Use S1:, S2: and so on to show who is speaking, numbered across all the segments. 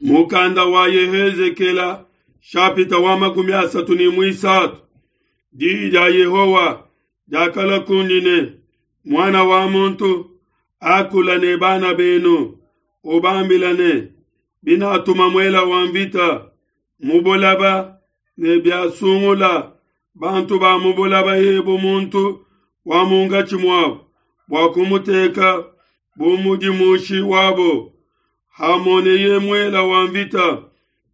S1: Mukanda wa Yehezekela shapita wa 33. Diyi dia Yehowa diakalua kundi ne, Muana wa muntu, akula ne bana benu, ubambila ne, Binatuma muela wa mvita mu bulaba ne biasungula bantu ba mu bulaba ebu muntu wa munkatshi muabu bua kumuteka bu mudimushi wabo, hamoneye muela wa mvita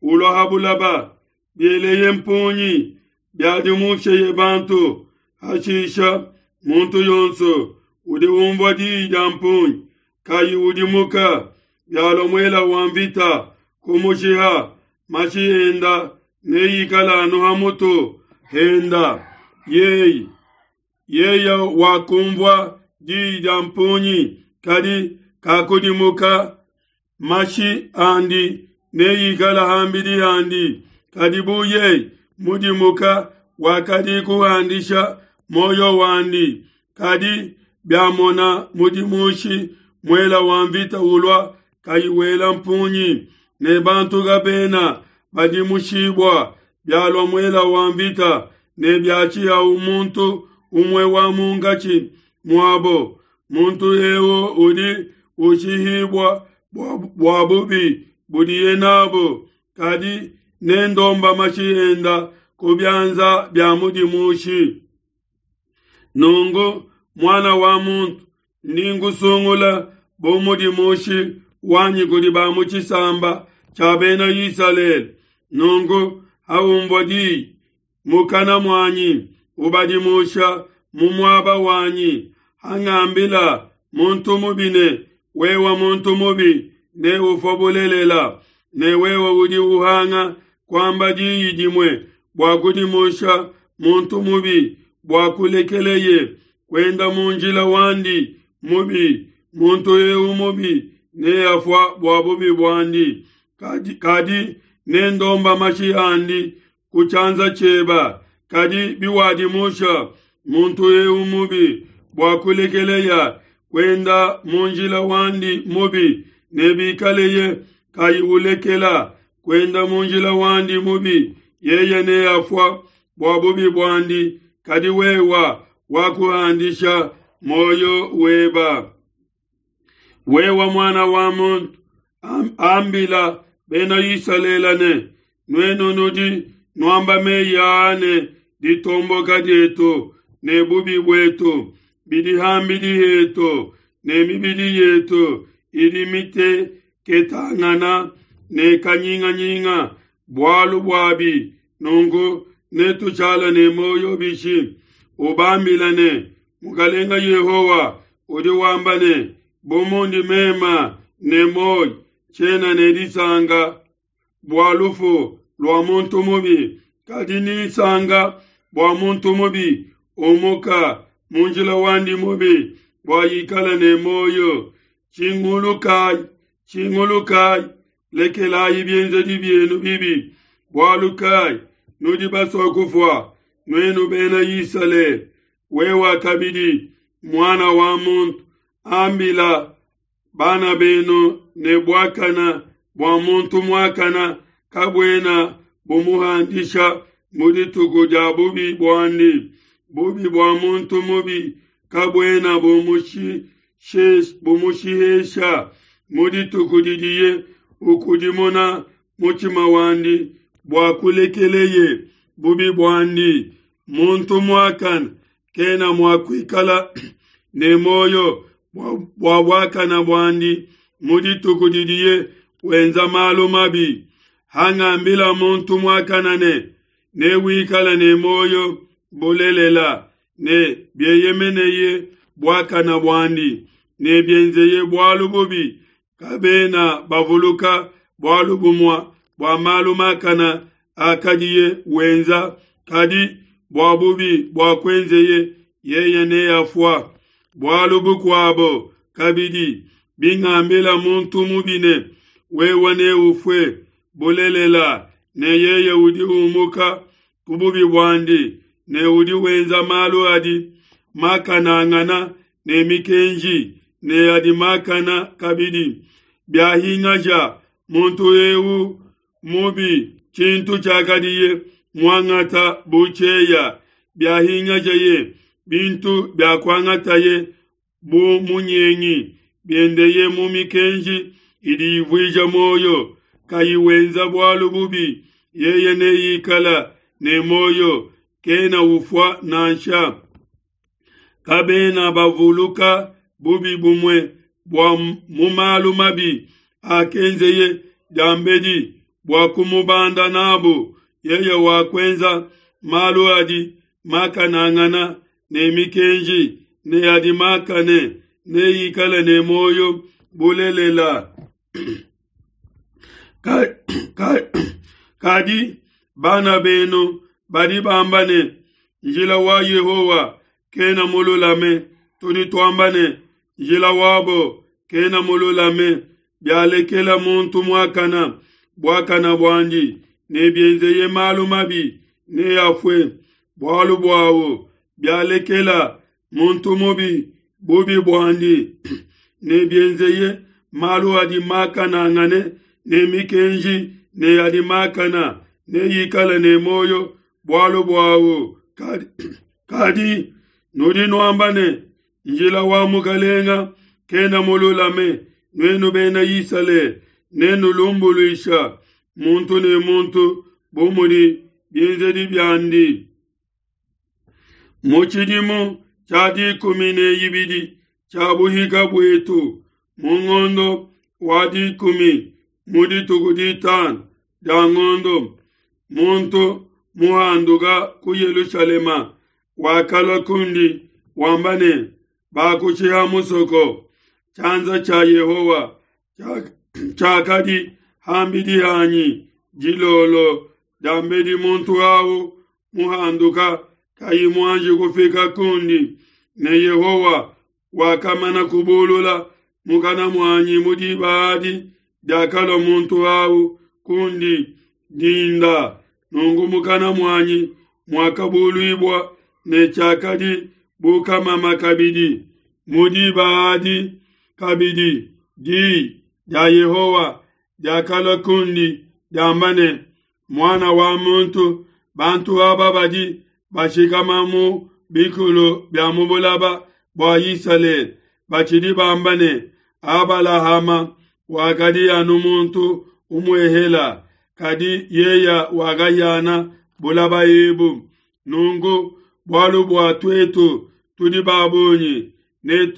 S1: ulua ha bulaba, bieleye mpungi, biadimusheye bantu, hashisha muntu yonso udi unvua diyi dia mpungi kayi udimuka, bialua muela wa mvita kumushiha, mashi enda neikale anu ha mutu henda. Yeye yeye wakumvua diyi dia mpungi, kadi kakudimuka, mashi andi neikale ham'bidi handi. Kadi bu yeye mudimuka, wakadi kuhandisha muoyo wandi. Kadi biamona mudimushi muela wa mvita ulua kayi wela mpungi, ne bantu kabena badimushibua, bialua muela wa mvita ne biatshihawu muntu umue wa munkatshi muabo, muntu eu udi ushihibua bua bubi budiye nabu, kadi nendomba mashi enda ku bianza bia mudimushi. Nunku, muana wa muntu, ndi nkusungula bu mudimushi wanyi kudi ba mu tshisamba tshia bena Isalele. Nunku, haunvua diyi mukana muanyi, ubadimusha mu muaba wanyi, hangambila muntu mubi ne, Wewe muntu mubi, neufue bulelela, ne wewe udi uhanga kuamba diyi dimue bua kudimusha muntu mubi bua kulekeleye kuenda mu njila wandi mubi, muntu eu mubi neafua bua bubi buandi, kadi, kadi nendomba mashi andi ku tshianza tshieba. Kadi biwadimusha muntu eu mubi bua kulekeleya kuenda mu njila wandi mubi, ne bikaleye kayi ulekela kuenda mu njila wandi mubi, yeye neafua bua bubi buandi, kadi wewa wakuhandisha muoyo weba. Wewe muana wa muntu, ambila bena Isalele ne, Nuenu nudi nuamba meyi aa ne ditomboka dietu ne bubi buetu bidi ham'bidi hetu, ne mibidi yetu idi miteketangana ne kanyinganyinga bualu buabi, nunku netushala ne muoyo bishi? Ubambila ne, Mukalenga Yehowa udi wamba ne, Bu mundi mema ne muoyo, tshiena ne disanka bua lufu lua muntu mubi, kadi ninsanka bua muntu mubi umuka mu njila wandi mubi, bua ikale ne muoyo. Tshingulukayi, tshingulukayi, lekelayi bienzedi bienu bibi, bualu kayi nudi basue kufua, nuenu bena Isalele? Wewe kabidi, muana wa muntu, ambila bana benu ne buakana bua muntu muakana kabuena bumuhandisha mu dituku dia bubi buandi. Bubi bua muntu mubi kabuena bumushihesha mu dituku didiye ukudimuna mutshima wandi bua kulekeleye bubi buandi. Muntu muakane kena mua kuikala ne muoyo bua buakana buandi mu dituku didiye wenza malu mabi. Hangambila muntu muakane ne, Newikale ne muoyo bulelela, ne bieyemeneye buakana buandi, ne bienzeye bualu bubi, kabena bavuluka bualu bumue bua malu makana akadiye wenza, kadi bua bubi buakuenzeye yeye neafua. Bualu bukuabo kabidi, bingambila muntu mubi ne, Wewe neufue bulelela, ne yeye udi umuka ku bubi buandi ne udi wenza malu adi makanangana ne mikenji ne adi makana kabidi, biahingaja. muntu eu mubi tshintu tshiakadiye muangata bu tshieya, biahingajeye bintu biakuangataye bu munyengi, biendeye mu mikenji idi ivuija muoyo, kayi wenza bualu bubi, yeye neikala ne muoyo, kena ufua nansha. Kabena bavuluka bubi bumue bua mu malu mabi akenzeye diambedi bua kumubanda nabu, yeye wakuenza malu adi makanangana ne mikenji ne adi makane, neikale ne muoyo bulelela. Kadi bana benu badi bamba ne, Njila wa Yehowa kena mululame. Tudi tuamba ne, Njila wabo kena mululame. Bialekela muntu muakana buakana buandi, ne bienzeye malu mabi, neafue bualu buawu. Bialekela muntu mubi bubi buandi, ne bienzeye malu adi makanangane ne mikenji ne adi makana, neikale ne muoyo bualu buawu. Kadi nudi nuamba ne, Njila wa Mukalenga kena mululame. Nuenu bena Isalele, nenulumbuluisha muntu ne muntu bu mudi bienzedi biandi. Mu tshidimu tshia 12 tshia buhika buetu, mu ngondo wa dikumi, mu dituku ditanu dia ngondo, muntu muhanduka ku Yelushalema wakalua kundi wamba ne, Bakushiha musoko. Tshianza tshia Yehowa tshiakadi ham'bidi hanyi dilolo diambedi muntu au muhanduka kayi muanji kufika kundi, ne Yehowa wakamana kubulula mukana muanyi mu diba adi diakalua muntu au kundi dinda. Nunku mukana muanyi muakabuluibua ne tshiakadi bu kamama kabidi. Mu diba adi kabidi di dia Yehowa diakalua kundi diamba ne, Muana wa muntu, bantu aba badi bashikama mu bikulu bia mu bulaba bua Isalele batshidi bamba ne, Abalahama wakadi anu muntu umuehela, kadi yeya wakahiana bulaba ebu. Nunku bualu bua tuetu tudi ba bungi, ne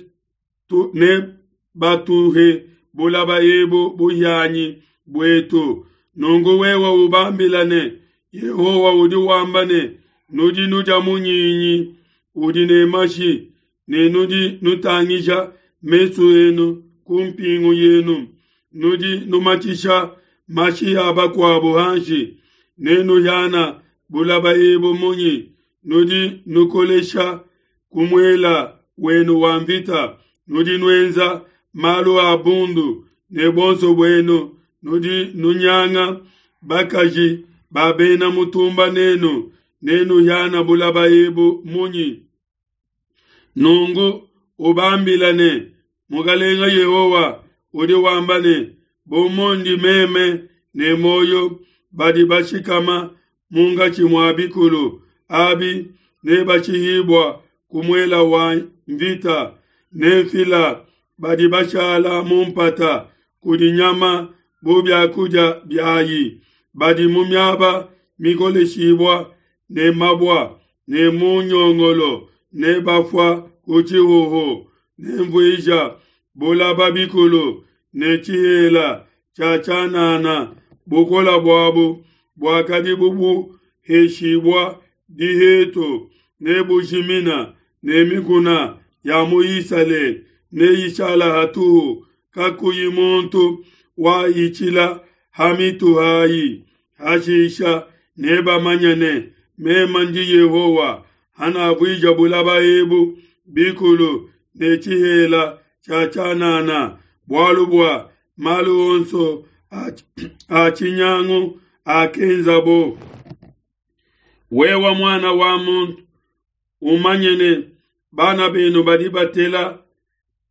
S1: ne batuhe bulaba ebu buhianyi buetu. Nunku wewe ubambila ne, Yehowa udi wamba ne, Nudi nudia munyinyi udi ne mashi, ne nudi nutangija mesu enu ku mpingu yenu, nudi numatshisha mashi a bakuabo hanshi, nenuhiana bulaba ebu munyi? Nudi nukolesha ku muela wenu wa nvita, nudi nuenza malu a bundu, ne buonso buenu nudi nunyanga bakaji ba bena mutumba nenu, nenuhiana bulaba ebu munyi? Nunku ubambila ne, Mukalenga Yehowa udi wamba ne, Bu mundi meme ne muoyo, badi bashikama munkatshi mua bikulu abi nebashihibua ku muela wa nvita, nenfila badi bashala mu mpata kudi nyama bu bia kudia biai, badi mu miaba mikoleshibua ne mabua ne mu nyongolo nebafua ku tshihuhu. Nenvuija bulaba bikulu ne tshihela tshia tshianana, bukole buabu buakadi bubuheshibua dihetu nebujimina, ne mikuna ya mu Isalele neyishala hatuhu, kakuyi muntu wahitshila ha mitu hai. Hashisha nebamanye ne, Meme ndi Yehowa, hanavuija bulaba ebu bikulu ne tshihela tshia tshianana, bualu bua malu onso a tshinyangu akenzabo. Wewe muana wa muntu, umanye ne, bana benu badi batela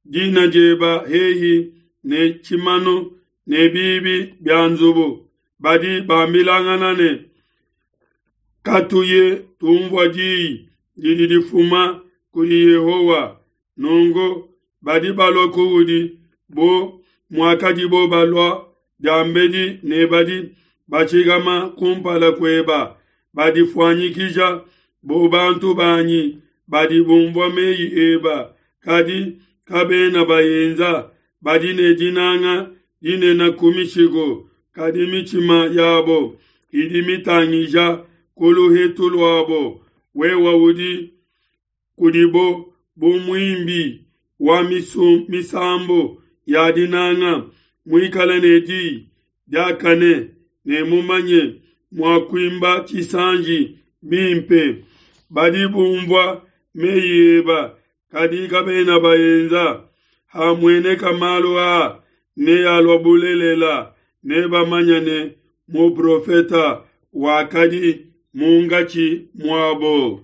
S1: dina dieba hehi ne tshimanu. ne biibi bia nzubu, badi bambilangana ne, Katuye tumvua diyi didi difuma kudi Yehowa. Nunku badi balua kuudi bu muakadibo balua diambedi ne badi batshikama kumpala kueba, badifuanyikija bu bantu banyi badi bumvua meyi eba, kadi kabena bayenza. Badi ne dinanga dinene ku mishiku, kadi mitshima yabo idi mitangija ku luhetu luabo. Wewe udi kudibo bu muimbi wa misambu ya dinanga, muikale ne diyi diakane ne mumanye mua kuimba tshisanji bimpe. Badi bumvua meyi eba, kadi kabena baenza. Hamueneka malu aa, nealua bulelela, nebamanye ne, muprofete wakadi munkatshi muabo.